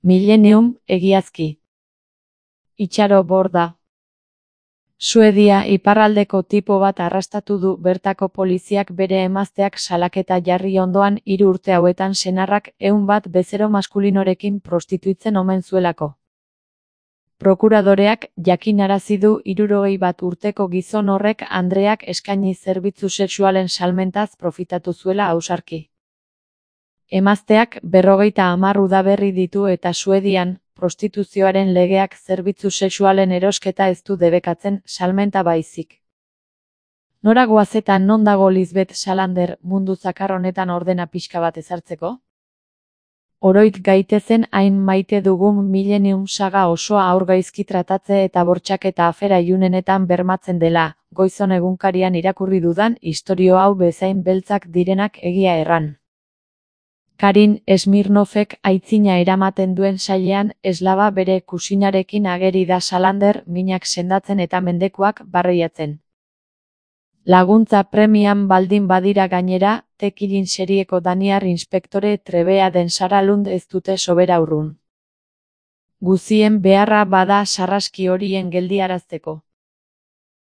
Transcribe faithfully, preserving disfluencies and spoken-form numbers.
Millennium, egiazki. Itxaro borda. Suedia iparraldeko tipo bat arrastatu du bertako poliziak bere emazteak salaketa jarri ondoan hiru urte hauetan senarrak ehun bat bezero maskulinorekin prostituitzen omen zuelako. Prokuradoreak jakinarazi du hirurogei bat urteko gizon horrek andreak eskaini zerbitzu sexualen salmentaz profitatu zuela ausarki. Emazteak berrogeita hamar udaberri ditu eta Suedian, prostituzioaren legeak zerbitzu sexualen erosketa ez du debekatzen, salmenta baizik. Nora goaz eta non dago Lisbeth Salander mundu zakar honetan ordena pixka bat ezartzeko? Oroit gaitezen hain maite dugun Millennium saga osoa aurgaizki tratatze eta bortxaketa afera ilunenetan bermatzen dela, Goizon egunkarian irakurri dudan istorio hau bezain beltzak direnak egia erran. Karin Smirnovek aitzina eramaten duen sailean eslaba bere kusinarekin ageri da Salander minak sendatzen eta mendekuak barreiatzen. Laguntza premian baldin badira gainera, Tekilin serieko daniar inspektore trebea den Sara Lund ez dute sobera urrun. Guzien beharra bada sarraski horien geldiarazteko.